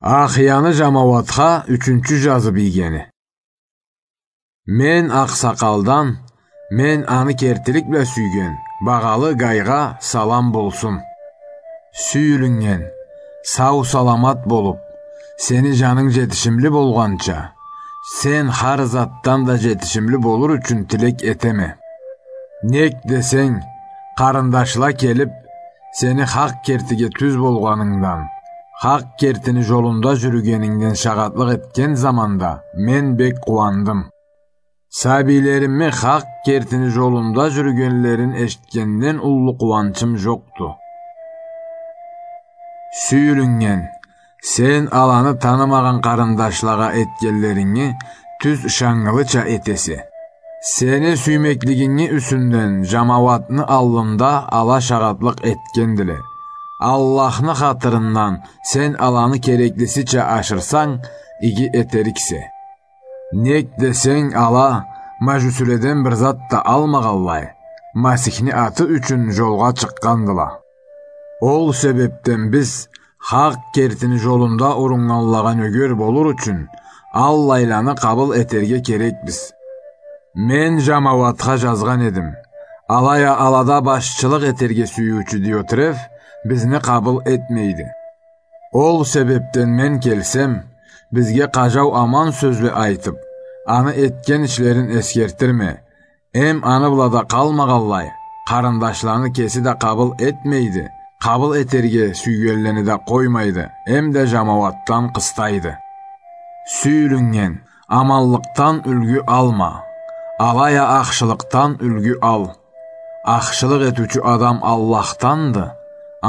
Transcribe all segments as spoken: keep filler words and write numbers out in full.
Ахияны жамауатха ючюнчю жазып ийгени. Мен акъсакъалдан, мен аны кертилик бла сюйген, багъалы Гайгъа салам болсун. Сюйюлюннген, сау-саламат болуп, сени жанынг жетишимли болгъанча, сен хар затдан да жетишимли болур ючюн тилек этеме. Нек десенг, къарындашла келип, сени хакъ кертиге тюз болгъанынгдан, хакъ кертини жолунда жюрюгенингден шагъатлыкъ этген заманда мен бек къууандым. Сабийлерими хакъ кертини жолунда жюрюгенлерин эшитгенден уллу къууанчым жокъду. Сюйюлюннген, сен аланы танымагъан къарындашлагъа этгенлеринги тюз ышаннгылыча этесе. Сени сюймеклигинги юсюнден жамауатны аллында ала шагъатлыкъ этгендиле. Аллахны хатырындан сен аланы кереклисича ашырсанг, иги этериксе. Нек десенг, ала, мажусиледен бир зат да алмагъанлай, Масихни аты ючюн жолгъа чыкъгъандыла. Ол себепден биз хакъ кертини жолунда уруннганлагъа нёгер болур ючюн, аллайланы къабыл этерге керекбиз. Мен жамауатха жазгъан эдим. Алай а алада башчылыкъ этерге сюйюучю Диотреф бизни къабыл этмейди. Ол себепден мен келсем, бизге къажау аман сёзле айтып, аны этген ишлерин эсгертирме, эм аны бла да къалмагъанлай, къарындашланы кеси да къабыл этмейди, къабыл этерге сюйгенлени да къоймайды, эм да жамауатдан къыстайды. Сюйюлюннген, аманлыкъдан юлгю алма, алай а ахшылыкъдан юлгю ал. Ахшылыкъ этиучю адам Аллахданды,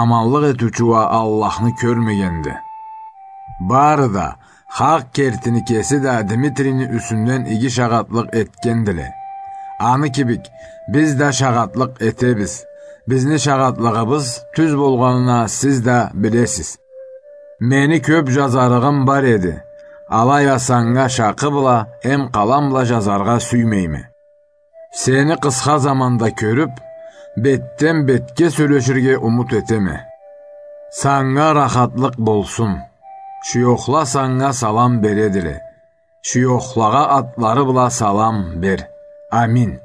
аманлыкъ этиучю уа Аллахны кёрмегенди. Бары да, хакъ кертини кеси да Дмитрийни юсюнден иги шагъатлыкъ этгендиле. Аны кибик, биз да шагъатлыкъ этебиз. Бизни шагъатлыгъыбыз тюз болгъанын а сиз да билесиз. Мени кёп жазарыгъым бар эди. Алай а санга шакъы бла эм къалам бла жазаргъа сюймейме. Сени къысха заманда кёрюп, бетден бетге сёлеширге умут этеме. Санга рахатлыкъ болсун. Шуёхла санга салам бередиле. Шуёхлагъа атлары бла салам бер. Амин.